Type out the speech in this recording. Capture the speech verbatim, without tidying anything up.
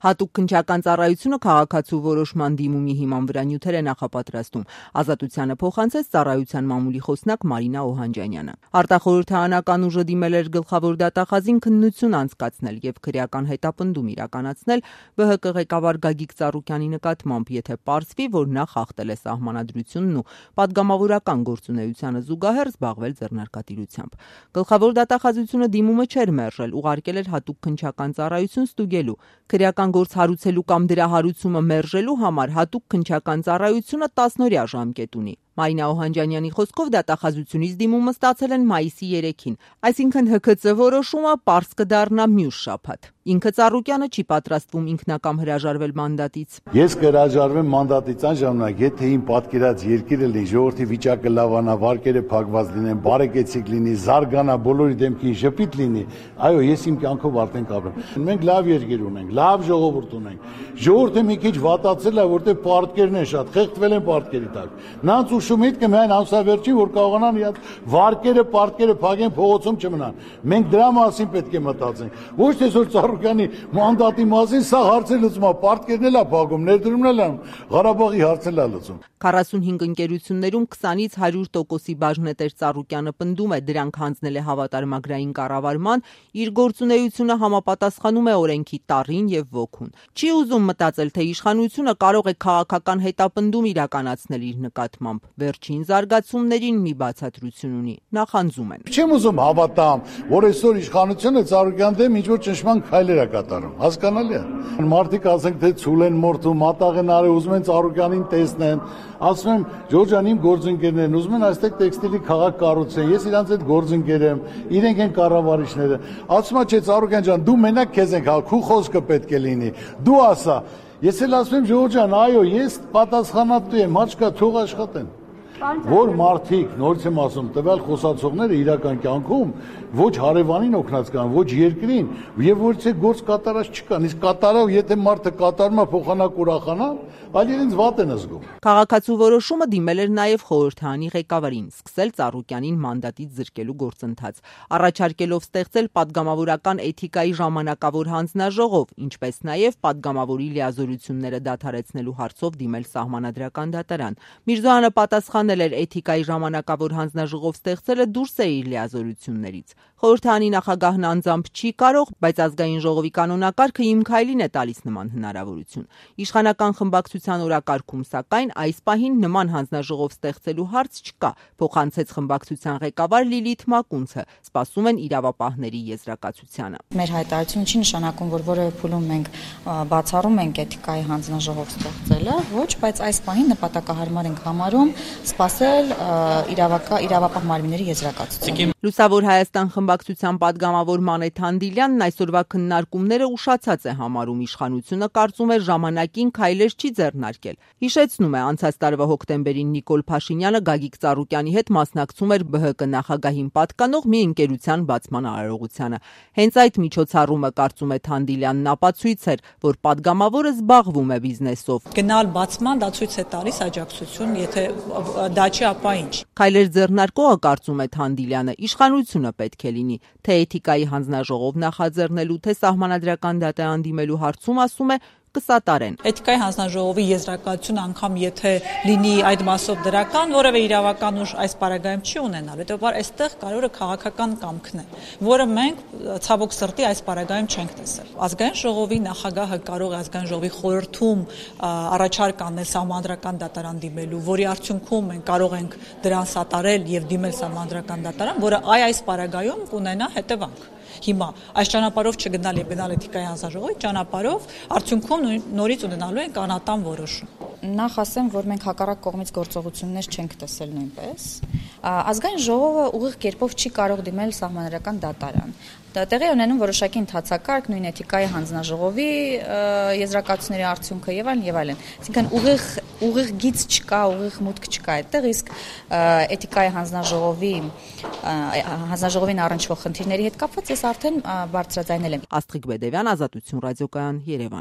Հատուկ քննչական ծառայությունը քաղաքացու որոշման դիմումի հիման վրա նյութեր է նախապատրաստում։ Ազատությանը փոխանցեց ծառայության մամուլի խոսնակ Մարինա Օհանջանյանը։ Արտախորհրդարանական ուժը դիմել էր գլխավոր դատախազին քննություն անցկացնել եւ քրեական հետապնդում իրականացնել ԲՀԿ ղեկավար Գագիկ Ծառուկյանի նկատմամբ, եթե պարզվի, որ նա խախտել է սահմանադրությունն ու պատգամավորական գործունեությանը զուգահեռ զբաղվել ձեռնարկատիրությամբ։ Գլխավոր դատախազությունը դիմումը չէր մերժել, ուղարկել էր հատուկ քննչական ծառայություն ստուգելու։ Քրեական գործ հարուցելու կամ դրա հարուցումը մերժելու համար հատուկ քննչական ծառայությունը տասնօրյա ժամկետ ունի։ Մարինա Օհանջանյանի խոսքով դատախազությունից դիմումը ստացել են մայիսի երեքին, այսինքն ՀՔԾ որոշումը պարզ կդառնա մյուս շաբաթ։ Ինքը Ծառուկյանը չի պատրաստվում ինքնակամ հրաժարվել մանդատից։ Ես կհրաժարվեմ մանդատից այն ժամանակ, եթե իմ պատկերած երկիրը լինի, ժողովրդի վիճակը լավանա, վարկերը փակված լինեն, բարեկեցիկ լինի, զարգանա, բոլորի դեմքին ժպիտ լինի, այո, ես իմ կյանքով արդեն կապրեմ։ Մենք լավ երկիր ունենք, լավ ժողովուրդ ունենք։ Ժողովուրդը մի քիչ վատացել է, որտեղ պարտքերն են շատ, խեղդվել են պարտքերի տակ։ Նրանց ուշում միտքը միայն ամսավերջին, որ կարողանան իրաց վարկերը, պարտքերը փակեն, փողոցում չմնան։ Մենք դրա մասին պետք է մտածենք։ Ոչ թե որ Ծառուկյանի մանդատի մասին սա հարցը լուծում է, պարտքերն էլ է փակում, ներդրումն էլ է, Ղարաբաղի հարցն էլ է լուծում։ քառասունհինգ ընկերություններում քսանից հարյուր տոկոսի բաժնետեր Ծառուկյանը պնդում է, դրանք հանձնել է հավատարմագրային կառավարման, իր գործունեությունը համապատասխանում է օրենքի տառին եւ ոգուն։ Չի ուզում մտածել, թե իշխանությունը կարող է քաղաքական հետապնդում իրականացնել իր նկատմամբ։ Վերջին զարգացումներին մի բացատրություն ունի, նախանձում են։ Չեմ ուզում հավատամ, որ այսօր իշխանությունը Ծառուկյան դեմ ինչ-որ ճնշման քայլեր է կատարում, հասկանալի է։ Մարդիկ ասենք, թե ցուլ են մորթում, մատաղ են արել, ուզում են Ծառուկյանին տեսնեն, ասում եմ, Ջորջ ջան, իմ գործընկերներն ուզում են այստեղ տեքստիլի քաղաք կառուցեն, ես իրանց հետ գործընկեր եմ, իրենք են կառավարիչները։ Ասում է, չէ, Ծառուկյան ջան, դու մենակ քեզ ենք հալ, քու խոսքը պետք է լինի, դու ասա։ Ես էլ ասում եմ, Ջորջ ջան, այո, ես պատասխանատու եմ, հաշկա թող աշխատեն։ Որ մարդիկ, նորից եմ ասում, տվյալ խոսացողները իրական կյանքում ոչ հարևանին օգնած կան, ոչ երկրին, եւ ոչ թե գործ կատարած չկան։ Իսկ կատարավ, եթե մարդը կատարում է փոխանակ ուրախանա, այլ իրենց վատ են զգում։ Քաղաքացու որոշումը դիմել էր նաեւ խորհրդարանի ղեկավարին, սկսել Ծառուկյանին մանդատից զրկելու գործընթաց, առաջարկելով ստեղծել պատգամավորական էթիկայի ժամանակավոր հանձնաժողով, ինչպես նաեւ պատգամավորի լիազորությունները դադարեցնելու հարցով դիմել սահմանադրական դատարան։ Միրզոյանը պատասխանել էր, էթիկայի ժամանակավոր հանձնաժողով ստեղծելը դուրս է իր լիազորություններից։ Խորհրդարանի նախագահն անձամբ չի կարող, բայց ազգային ժողովի կանոնակարգը իմ քայլին է տալիս նման հնարավորություն։ Իշխանական խմբակցության օրակարգում, սակայն, այս պահին նման հանձնաժողով ստեղծելու հարց չկա, փոխանցեց խմբակցության ղեկավար Լիլիթ Մակունցը, սպասում են իրավապահների եզրակացությանը։ Մեր հայտարարությունը չի նշանակում, որ որևէ փուլում մենք բացառում ենք էթիկայի հանձնաժողով ստեղծելը, ոչ, բայց այս պահին նպատակահարմար ենք համարում սպասել իրավապահ մարմինների եզրակացությանը։ Լուսավոր Հայաստան խմբակցության պատգամավոր Մանեթ Հանդիլյանն այսօրվա քննարկումները ուշացած է համարում, իշխանությունը կարծում է ժամանակին քայլեր չի ձեռնարկել։ Հիշեցնում է, անցած տարվա հոկտեմբերին Նիկոլ Փաշինյանը Գագիկ Ծառուկյանի հետ մասնակցում էր ԲՀԿ նախագահին պատկանող մի ընկերության բացման արարողությանը։ Հենց այդ միջոցառումը, կարծում է Հանդիլյանն, ապացույց էր, որ պատգամավորը զբաղվում է բիզնեսով։ Գնալ բացման դա ցույց է տալիս աջակցություն, եթե դա չի, ապա ինչ։ Քայլեր ձեռնարկողը, կարծում է Հանդիլյանը, իշխանությունը պետք է լինի, թե էթիկայի հանձնաժողով նախաձեռնելու, թե սահմանադրական դատարան դիմելու հարցում, ասում է, կսատարեն։ Էթիկայի հանձնաժողովի եզրակացությունը անգամ եթե լինի այդ մասով դրական, որևէ իրավական ուժ այս պարագայում չի ունենալ, հետեւաբար այստեղ կարևորը քաղաքական կամքն է, որը մենք ցավոք սրտի այս պարագայում չենք տեսել։ Ազգային ժողովի նախագահը կարող է ազգային ժողովի խորհրդում առաջարկ անել սահմանադրական դատարան դիմելու, որի արդյունքում մենք կարող ենք դրան սատարել եւ դիմել սահմանադրական դատարան, որը այ այս պարագայում կունենա հետևանք։ Հիմա այս ճանապարհով չգնալ եւ գնալ էթիկայի հանձնաժողովի ճանապարհով արդյունքում նորից ունենալու են կանատան որոշում։ Նախ ասեմ, որ մենք հակառակ կողմից գործողություններ չենք տեսել նույնպես։ Ազգային ժողովը ուղիղ կերպով չի կարող դիմել սահմանադրական դատարան։ Դա տեղի ունենում որոշակի ընթացակարգ, նույն էթիկայի հանձնաժողովի եզրակացությունների արդյունքը եւ այլն եւ այլն։ Այսինքն ուղիղ ուղիղ գիծ չկա, ուղիղ մուտք չկա այդտեղ, իսկ էթիկայի հանձնաժողովի հանձնաժողովին առնչվող խնդիրների հետ կապված ես արդեն բարձրաձայնել եմ։ Աստղիկ Բեդևյան, Ազատություն ռադիոկայան, Երևան։